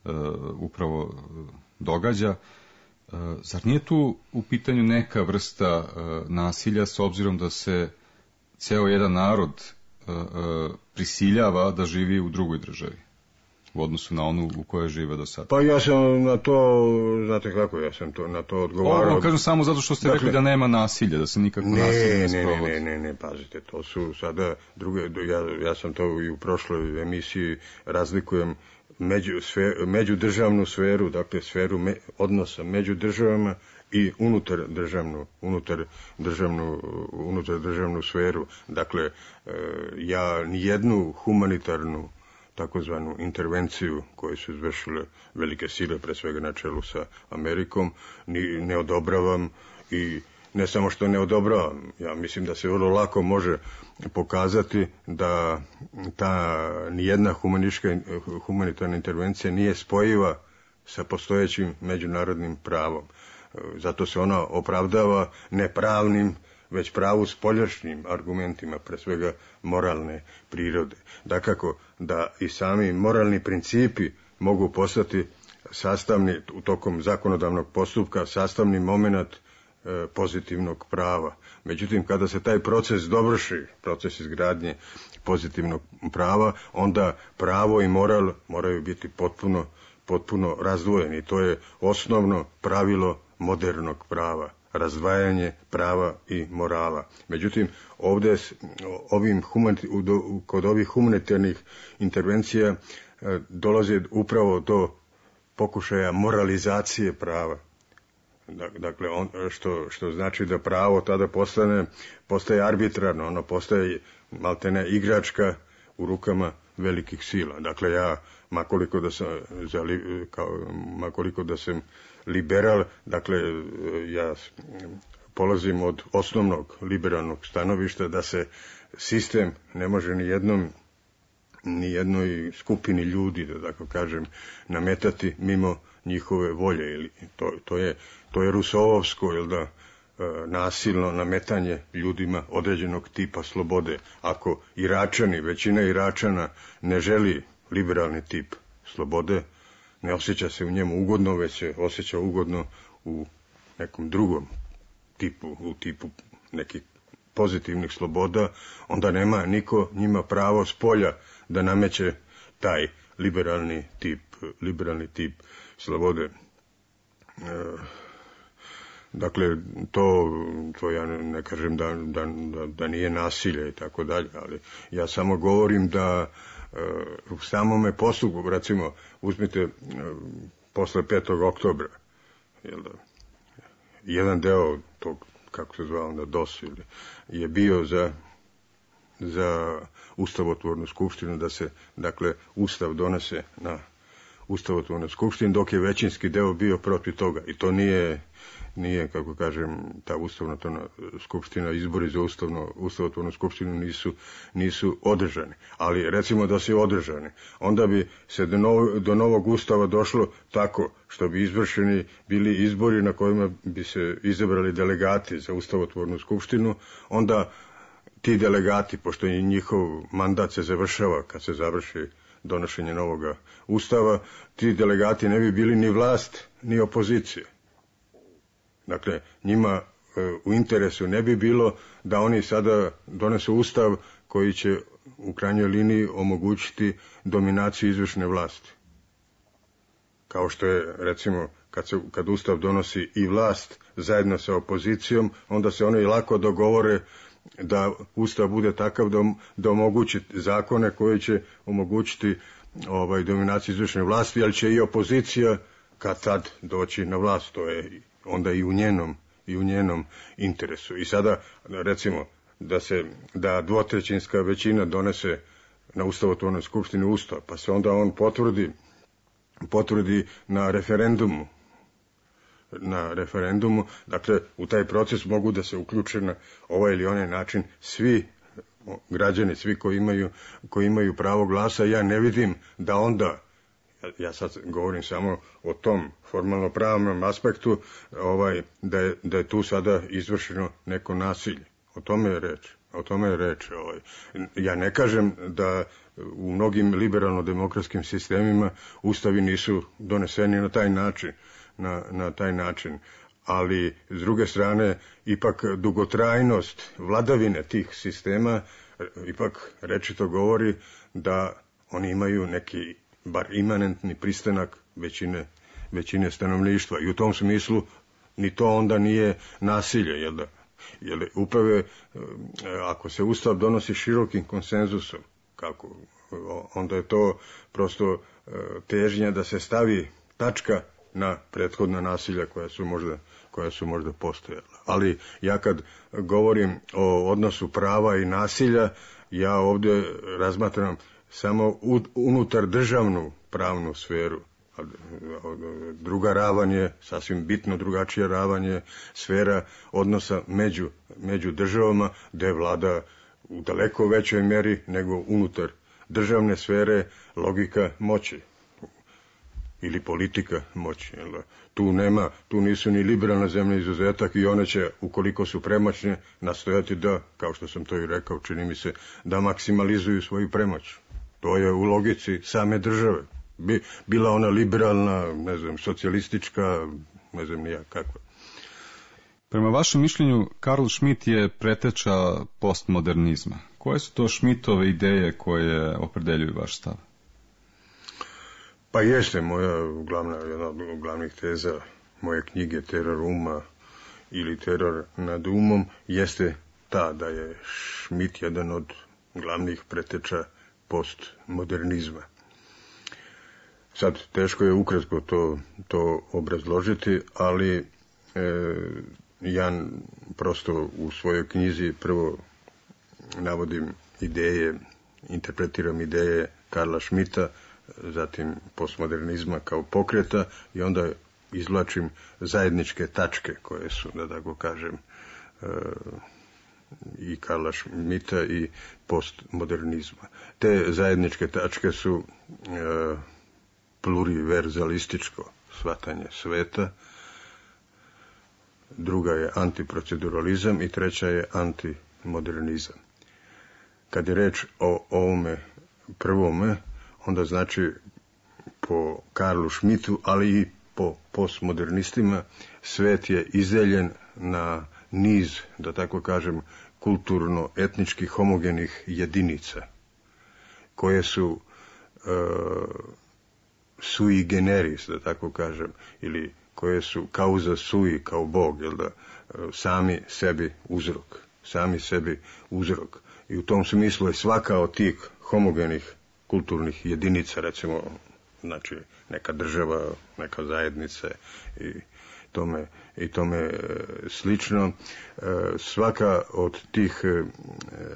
uh, upravo događa, uh, zar nije tu u pitanju neka vrsta uh, nasilja, s obzirom da se ceo jedan narod uh, uh, prisiljava da živi u drugoj državi u odnosu na onu u kojoj žive do sada? Pa ja sam na to, znate kako, ja sam to na to odgovarao. Ovo kažem samo zato što ste dakle, rekli da nema nasilja, da se nikako ne, nasilje ne ne sprovodi. Ne, ne, ne, pazite, to su sada druge, ja, ja sam to i u prošloj emisiji razlikujem među, sve, međudržavnu sferu, dakle sferu me, odnosa među državama i unutar državnu, unutar državnu, unutar državnu sferu. Dakle, ja nijednu humanitarnu takozvanu intervenciju koju su izvršile velike sile, pre svega na čelu sa Amerikom, ni, ne odobravam i ne samo što ne odobravam, ja mislim da se vrlo lako može pokazati da ta nijedna humanitarna intervencija nije spojiva sa postojećim međunarodnim pravom. Zato se ona opravdava ne pravnim, već pravu spoljašnjim argumentima, pre svega moralne prirode. Dakako, da i sami moralni principi mogu postati sastavni, u tokom zakonodavnog postupka, sastavni moment e, pozitivnog prava. Međutim, kada se taj proces dovrši, proces izgradnje pozitivnog prava, onda pravo i moral moraju biti potpuno, potpuno razdvojeni. To je osnovno pravilo modernog prava. Razdvajanje prava i morala. Međutim, ovdje ovim humanit, kod ovih humanitarnih intervencija dolazi upravo do pokušaja moralizacije prava. Dakle, on, što, što znači da pravo tada postane, postaje arbitrarno, ono postaje maltene igračka u rukama velikih sila. Dakle, ja, makoliko da sam, za, kao, makoliko da sam liberal, dakle, ja polazim od osnovnog liberalnog stanovišta da se sistem ne može ni jednom, ni jednoj skupini ljudi, da tako kažem, nametati mimo njihove volje. Ili to, to je, to je Rusovovsko, jel da, nasilno nametanje ljudima određenog tipa slobode. Ako Iračani, većina Iračana ne želi liberalni tip slobode, ne osjeća se u njemu ugodno, već se osjeća ugodno u nekom drugom tipu, u tipu nekih pozitivnih sloboda, onda nema niko njima pravo s polja da nameće taj liberalni tip, liberalni tip slobode. E, dakle, to, to ja ne kažem da, da, da, da nije nasilje i tako dalje, ali ja samo govorim da u samome postupku, recimo, uzmite posle petog oktobra, jel da, jedan deo tog, kako se zvao onda, D O S, je bio za, za ustavotvornu skupštinu da se, dakle, ustav donese na ustavotvornoj skupštini, dok je većinski deo bio protiv toga. I to nije, nije kako kažem, ta ustavotvorna skupština, izbori za ustavno, ustavotvornu skupštinu nisu, nisu održani. Ali recimo da su održani, onda bi se do, nov, do novog ustava došlo tako što bi izvršeni bili izbori na kojima bi se izabrali delegati za ustavotvornu skupštinu, onda ti delegati, pošto je njihov mandat se završava kad se završi donošenje novog ustava, ti delegati ne bi bili ni vlast, ni opozicija. Dakle, njima e, u interesu ne bi bilo da oni sada donesu ustav koji će u krajnjoj liniji omogućiti dominaciju izvršne vlasti. Kao što je, recimo, kad, se, kad ustav donosi i vlast zajedno sa opozicijom, onda se oni lako dogovore da ustav bude takav da, da omogući zakone koji će omogućiti ovaj, dominaciju izvršne vlasti, ali će i opozicija kad tad doći na vlast, to je onda i u njenom, i u njenom interesu. I sada, recimo, da se da dvotrećinska većina donese na ustavotvornoj skupštini ustav, pa se onda on potvrdi, potvrdi na referendumu, na referendumu, dakle u taj proces mogu da se uključe na ovaj ili onaj način svi građani, svi koji imaju, koji imaju pravo glasa. Ja ne vidim da onda, ja sad govorim samo o tom formalno pravnom aspektu, ovaj, da, je, da je tu sada izvršeno neko nasilje. O tome je reč. O tome je reč. Ovaj. Ja ne kažem da u mnogim liberalno-demokratskim sistemima ustavi nisu doneseni na taj način, na, na taj način. Ali, s druge strane, ipak dugotrajnost vladavine tih sistema ipak rečito govori da oni imaju neki, bar imanentni pristanak većine, većine stanovništva. I u tom smislu ni to onda nije nasilje, jel da? Jer upravo, ako se ustav donosi širokim konsenzusom, kako, onda je to prosto težnja da se stavi tačka na prethodna nasilja koja su možda, koja su možda postojala. Ali ja kad govorim o odnosu prava i nasilja, ja ovdje razmatram samo unutar državnu pravnu sferu. Druga ravan je, sasvim bitno drugačija ravan je sfera odnosa među, među državama, gde vlada u daleko većoj meri nego unutar državne sfere logika moći ili politika moći. Tu nema, tu nisu ni liberalna zemlja izuzetak i one će, ukoliko su premoćne, nastojati da, kao što sam to i rekao, čini mi se, da maksimalizuju svoju premoć. To je u logici same države. Bi, bila ona liberalna, ne znam, socijalistička, ne znam nija kakva. Prema vašem mišljenju, Karl Schmitt je preteča postmodernizma. Koje su to Schmittove ideje koje opredeljuju vaš stav? Pa jeste moja glavna, jedna od glavnih teza moje knjige Teror uma ili Teror nad umom jeste ta da je Schmitt jedan od glavnih preteča postmodernizma. Sad, teško je ukratko to, to obrazložiti, ali e, ja prosto u svojoj knjizi prvo navodim ideje, interpretiram ideje Karla Schmitta, zatim postmodernizma kao pokreta i onda izvlačim zajedničke tačke koje su, da tako kažem, e, i Karla Schmitta i postmodernizma. Te zajedničke tačke su e, pluriverzalističko shvatanje sveta, druga je antiproceduralizam i treća je antimodernizam. Kad je reč o ovome prvome, onda znači po Karlu Schmittu, ali i po postmodernistima, svet je izdeljen na niz, da tako kažem, kulturno-etničkih homogenih jedinica, koje su e, sui generis, da tako kažem, ili koje su causa sui, kao Bog, jel da, sami sebi uzrok, sami sebi uzrok. I u tom smislu je svaka od tih homogenih kulturnih jedinica, recimo, znači neka država, neka zajednica i tome, i tome slično, svaka od tih,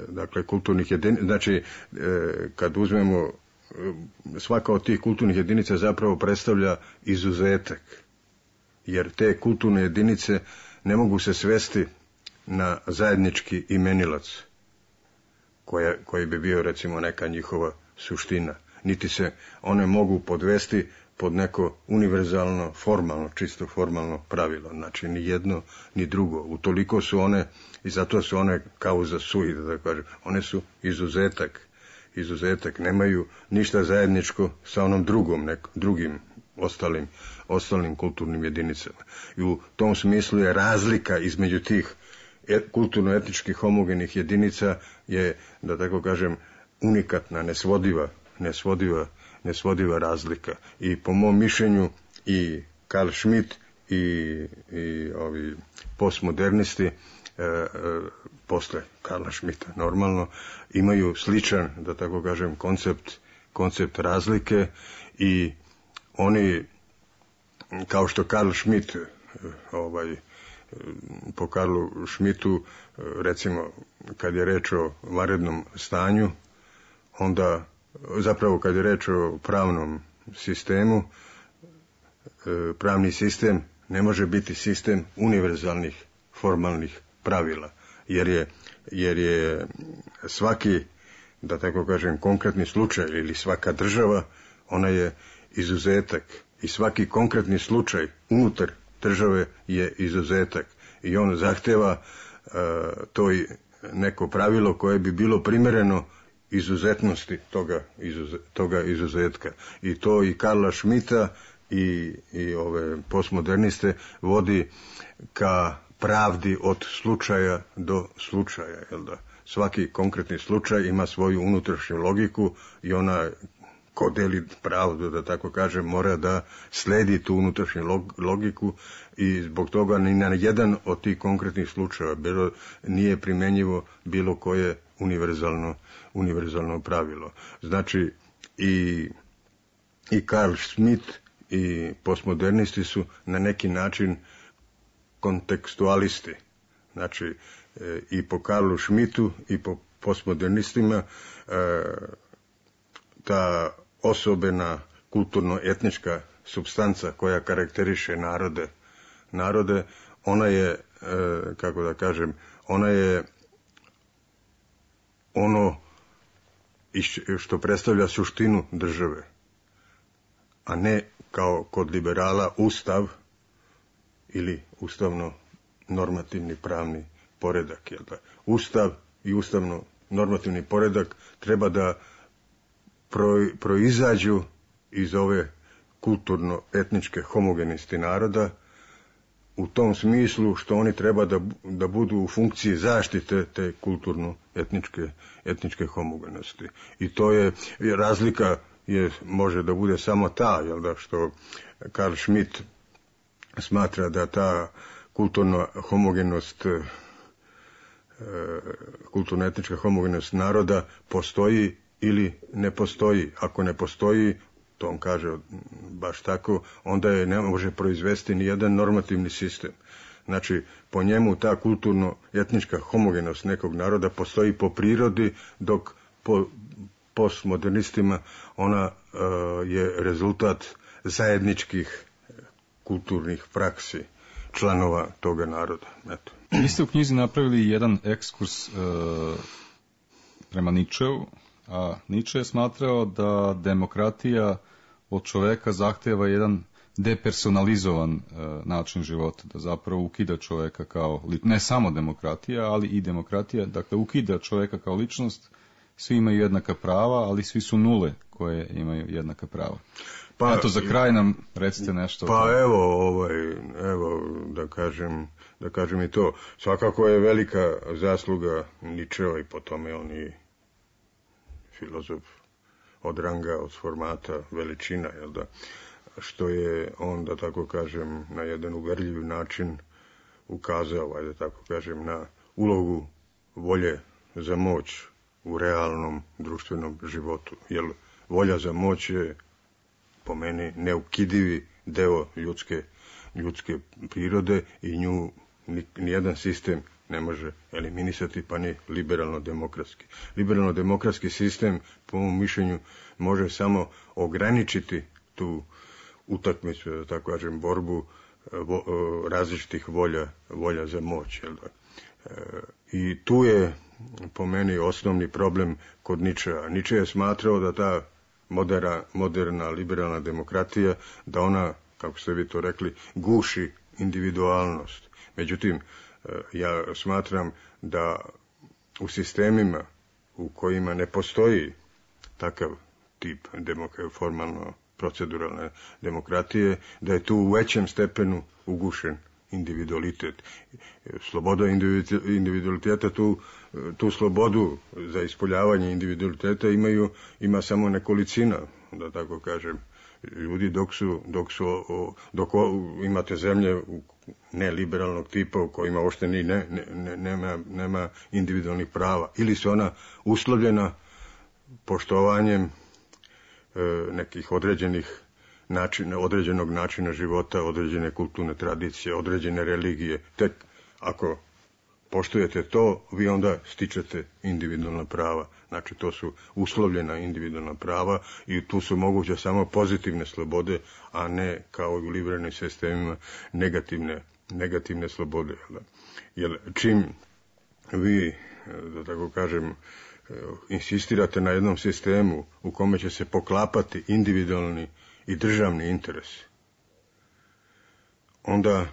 dakle, kulturnih jedinica, znači, kad uzmemo svaka od tih kulturnih jedinica zapravo predstavlja izuzetak, jer te kulturne jedinice ne mogu se svesti na zajednički imenilac koja, koji bi bio recimo neka njihova suština, niti se one mogu podvesti pod neko univerzalno, formalno, čisto formalno pravilo. Znači, ni jedno, ni drugo. Utoliko su one, i zato su one causa sui, da kažem, one su izuzetak, izuzetak, nemaju ništa zajedničko sa onom drugom, nek, drugim ostalim, ostalim kulturnim jedinicama. I u tom smislu je razlika između tih et, kulturno-etničkih homogenih jedinica je, da tako kažem, unikatna, nesvodiva, nesvodiva, nesvodiva razlika. I po mom mišljenju i Carl Schmitt i, i ovi postmodernisti e, e, posle Karla Schmidta normalno imaju sličan, da tako kažem, koncept, koncept razlike i oni, kao što Carl Schmitt ovaj, po Karlu Schmittu, recimo kad je reč o vanrednom stanju, onda zapravo kad je reč o pravnom sistemu, pravni sistem ne može biti sistem univerzalnih formalnih pravila, jer je, jer je svaki, da tako kažem, konkretni slučaj ili svaka država, ona je izuzetak i svaki konkretni slučaj unutar države je izuzetak i on zahteva uh, to neko pravilo koje bi bilo primereno izuzetnosti toga, izuze, toga izuzetka. I to i Karla Schmidta i, i ove postmoderniste vodi ka pravdi od slučaja do slučaja. Jel da? Svaki konkretni slučaj ima svoju unutrašnju logiku i ona ko deli pravdu, da tako kažem, mora da sledi tu unutrašnju logiku i zbog toga ni na jedan od tih konkretnih slučajeva bilo, nije primenjivo bilo koje univerzalno, univerzalno pravilo. Znači i, i Carl Schmitt i postmodernisti su na neki način kontekstualisti. Znači e, i po Karlu Schmittu i po postmodernistima e, ta osobena kulturno-etnička supstanca koja karakteriše narode, narode, ona je, e, kako da kažem, ona je ono što predstavlja suštinu države, a ne kao kod liberala ustav ili ustavno normativni pravni poredak. Jel da? Ustav i ustavno normativni poredak treba da proizađu iz ove kulturno-etničke homogenosti naroda u tom smislu što oni treba da, da budu u funkciji zaštite te kulturno-etničke etničke homogenosti. I to je, razlika je, može da bude samo ta, jel da, što Carl Schmitt smatra da ta kulturna homogenost, kulturno-etnička homogenost naroda postoji ili ne postoji. Ako ne postoji, to on kaže baš tako, onda je ne može proizvesti ni jedan normativni sistem. Znači, po njemu ta kulturno-etnička homogenost nekog naroda postoji po prirodi, dok po postmodernistima ona uh, je rezultat zajedničkih kulturnih praksi članova toga naroda. Eto. Vi ste u knjizi napravili jedan ekskurs uh, prema Nietzscheu, a Nietzsche je smatrao da demokratija od čoveka zahteva jedan depersonalizovan e, način života, da zapravo ukida čoveka kao, ne samo demokratija, ali i demokratija, dakle ukida čoveka kao ličnost, svi imaju jednaka prava, ali svi su nule koje imaju jednaka prava. Pa, eto, za kraj nam recite nešto. Pa evo, ovaj, evo, da kažem, da kažem i to. Svakako je velika zasluga Nietzschea i po tome on i filozof od ranga, od formata, veličina, jel da, što je on, da tako kažem, na jedan uverljiv način ukazao, ajde tako kažem, na ulogu volje za moć u realnom društvenom životu. Jer volja za moć je, po meni, neukidivi deo ljudske, ljudske prirode i nju nijedan sistem ne može eliminisati, pa ni liberalno-demokratski. Liberalno-demokratski sistem, po mom mišljenju, može samo ograničiti tu utakmicu, da tako kažem, borbu vo, različitih volja, volja za moć. Jel da? E, I tu je, po meni, osnovni problem kod Ničea. Niče je smatrao da ta modera, moderna liberalna demokratija, da ona, kako ste vi to rekli, guši individualnost. Međutim, ja smatram da u sistemima u kojima ne postoji takav tip demok- formalno proceduralne demokratije, da je tu u većem stepenu ugušen individualitet. Sloboda individualiteta, tu, tu slobodu za ispoljavanje individualiteta imaju, ima samo nekolicina, da tako kažem, ljudi, dok su, dok su, dok imate zemlje neliberalnog tipa u kojima uopšte ni ne, ne, nema, nema individualnih prava, ili su ona uslovljena poštovanjem e, nekih određenih načina, određenog načina života, određene kulturne tradicije, određene religije. Tek ako poštujete to, vi onda stičete individualna prava. Znači, to su uslovljena individualna prava i tu su moguće samo pozitivne slobode, a ne kao i u liberalnim sistemima negativne, negativne slobode. Jer čim vi, da tako kažem, insistirate na jednom sistemu u kome će se poklapati individualni i državni interes, onda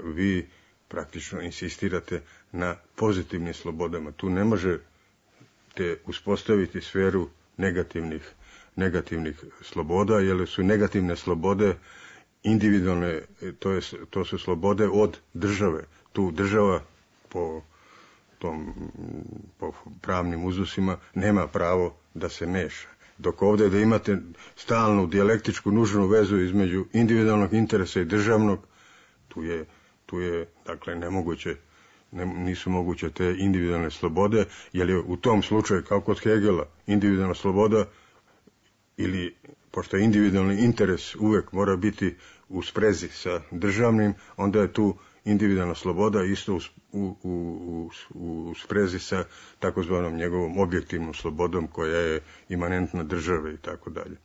vi praktično insistirate na pozitivnim slobodama. Tu ne možete uspostaviti sferu negativnih, negativnih sloboda, jer su negativne slobode individualne, to, je, to su slobode od države. Tu država po, tom, po pravnim uzusima nema pravo da se meša. Dok ovdje da imate stalnu dijalektičku nužnu vezu između individualnog interesa i državnog, tu je tu je, dakle, nemoguće, ne, nisu moguće te individualne slobode, jer je u tom slučaju, kao kod Hegela, individualna sloboda, ili, pošto je individualni interes uvek mora biti u sprezi sa državnim, onda je tu individualna sloboda isto u, u, u, u sprezi sa takozvanom njegovom objektivnom slobodom koja je imanentna države i tako dalje.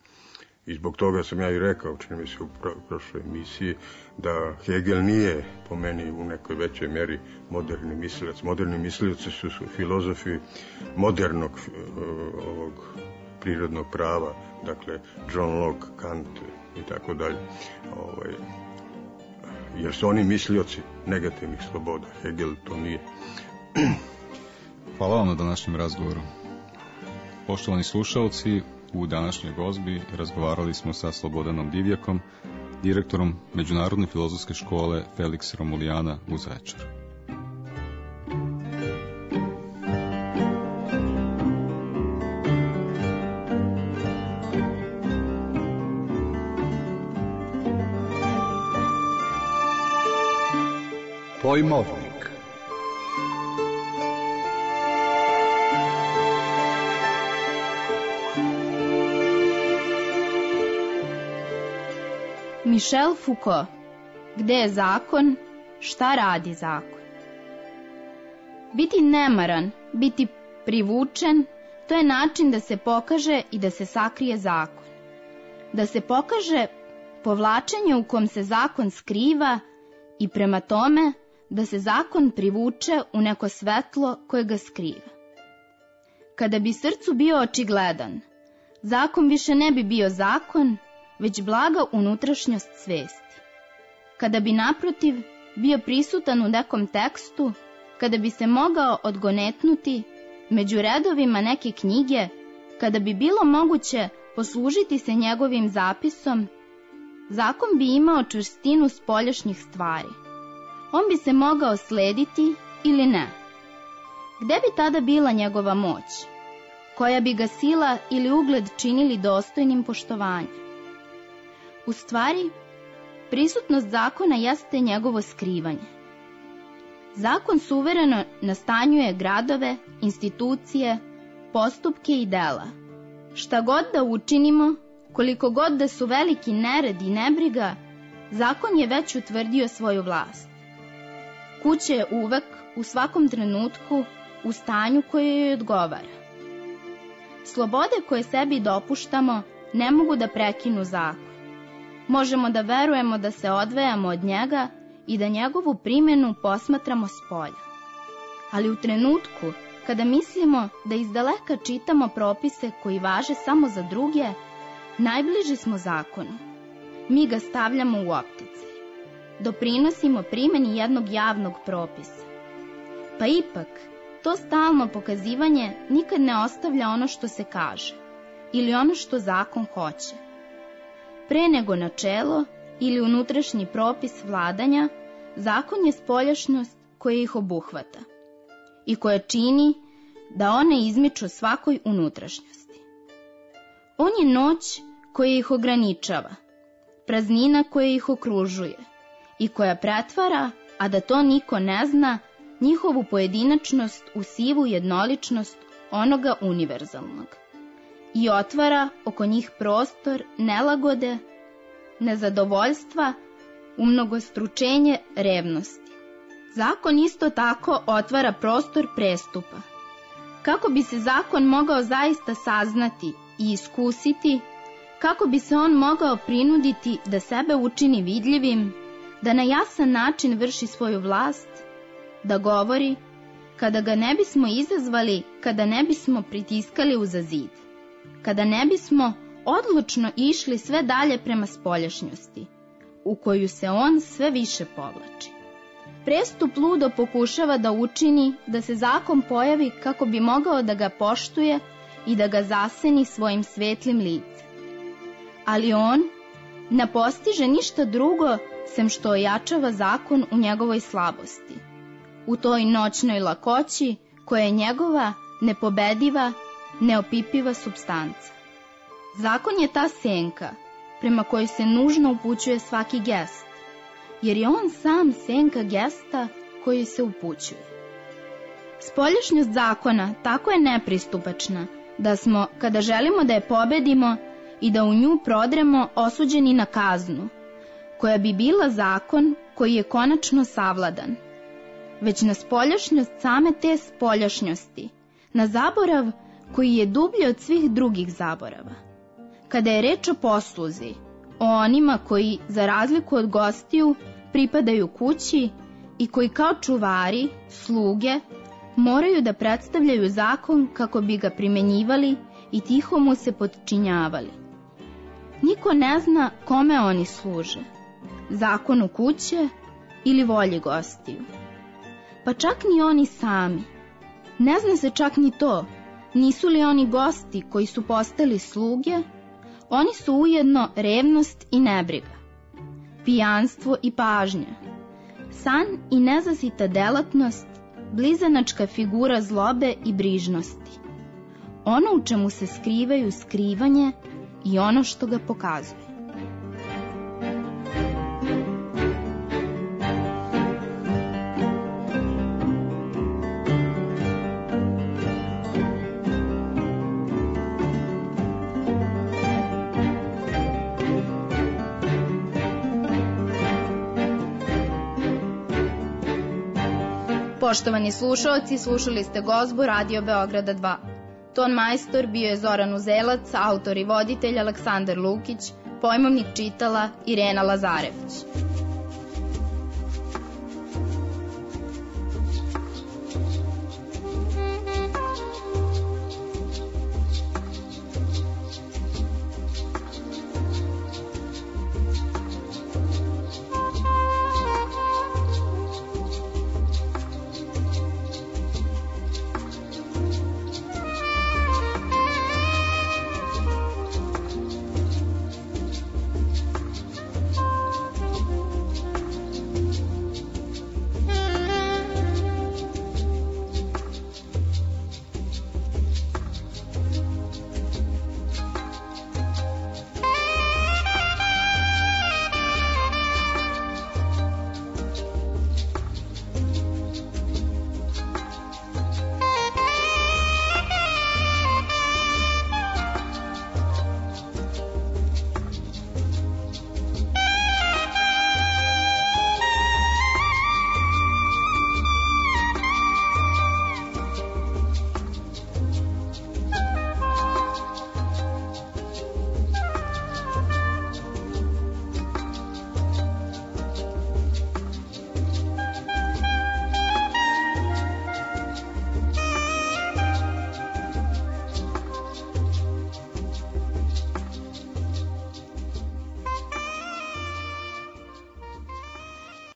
I zbog toga sam ja i rekao, čini mi se u prošloj emisiji, da Hegel nije, po meni, u nekoj većoj meri moderni mislilac. Moderni mislilaci su, su filozofi modernog ovog prirodnog prava, dakle John Locke, Kant i tako dalje. Ovaj, jer su oni mislioci negativnih sloboda. Hegel to nije. Hvala vam na današnjem razgovoru. Poštovani slušalci, u današnjoj gozbi razgovarali smo sa Slobodanom Divjakom, direktorom Međunarodne filozofske škole Felix Romulijana u Zaječaru. Pojmovnik. Michel Foucault. Gde je zakon? Šta radi zakon? Biti nemaran, biti privučen, to je način da se pokaže i da se sakrije zakon. Da se pokaže povlačenje u kom se zakon skriva i prema tome da se zakon privuče u neko svetlo koje ga skriva. Kada bi srcu bio očigledan, zakon više ne bi bio zakon, već blaga unutrašnjost svesti. Kada bi naprotiv bio prisutan u nekom tekstu, kada bi se mogao odgonetnuti među redovima neke knjige, kada bi bilo moguće poslužiti se njegovim zapisom, zakon bi imao čvrstinu spoljašnjih stvari. On bi se mogao slediti ili ne. Gde bi tada bila njegova moć? Koja bi ga sila ili ugled činili dostojnim poštovanja? U stvari, prisutnost zakona jeste njegovo skrivanje. Zakon suvereno nastanjuje gradove, institucije, postupke i dela. Šta god da učinimo, koliko god da su veliki nered i nebriga, zakon je već utvrdio svoju vlast. kuća je uvek, u svakom trenutku, u stanju koje joj odgovara. Slobode koje sebi dopuštamo ne mogu da prekinu zakon. Možemo da verujemo da se odvajamo od njega i da njegovu primjenu posmatramo spolja. Ali u trenutku kada mislimo da izdaleka čitamo propise koji važe samo za druge, najbliži smo zakonu. Mi ga stavljamo u opticaj. Doprinosimo primjeni jednog javnog propisa. Pa ipak, to stalno pokazivanje nikad ne ostavlja ono što se kaže ili ono što zakon hoće. Pre nego načelo ili unutrašnji propis vladanja, zakon je spoljašnjost koja ih obuhvata i koja čini da one izmiču svakoj unutrašnjosti. On je noć koja ih ograničava, praznina koja ih okružuje i koja pretvara, a da to niko ne zna, njihovu pojedinačnost u sivu jednoličnost onoga univerzalnog i otvara oko njih prostor nelagode, nezadovoljstva, umnogostručenje revnosti. Zakon isto tako otvara prostor prestupa. Kako bi se zakon mogao zaista saznati i iskusiti, kako bi se on mogao prinuditi da sebe učini vidljivim, da na jasan način vrši svoju vlast, da govori, kada ga ne bismo izazvali, kada ne bismo pritiskali uza zid, kada ne bismo odlučno išli sve dalje prema spoljašnjosti, u koju se on sve više povlači. Prestup ludo pokušava da učini da se zakon pojavi kako bi mogao da ga poštuje i da ga zaseni svojim svetlim licem. Ali on ne postiže ništa drugo sem što ojačava zakon u njegovoj slabosti, u toj noćnoj lakoći koja je njegova nepobediva, neopipiva supstanca. Zakon je ta senka prema kojoj se nužno upućuje svaki gest, jer je on sam senka gesta koji se upućuje. Spoljašnjost zakona tako je nepristupačna da smo, kada želimo da je pobedimo i da u nju prodremo, osuđeni na kaznu, koja bi bila zakon koji je konačno savladan, već na spoljašnjost same te spoljašnjosti, na zaborav koji je dublji od svih drugih zaborava. Kada je reč o posluzi, o onima koji, za razliku od gostiju, pripadaju kući i koji kao čuvari, sluge, moraju da predstavljaju zakon kako bi ga primenjivali i tiho mu se potčinjavali. Niko ne zna kome oni služe, zakonu kuće ili volji gostiju. Pa čak ni oni sami. Ne zna se čak ni to, nisu li oni gosti koji su postali sluge. Oni su ujedno revnost i nebriga, pijanstvo i pažnja, san i nezasita delatnost, blizanačka figura zlobe i brižnosti, ono u čemu se skrivaju skrivanje i ono što ga pokazuje. Poštovani slušalci, slušali ste Gozbu Radio Beograda dva. Ton majstor bio je Zoran Uzelac, autor i voditelj Aleksandar Lukić, pojmovnik čitala Irena Lazarević.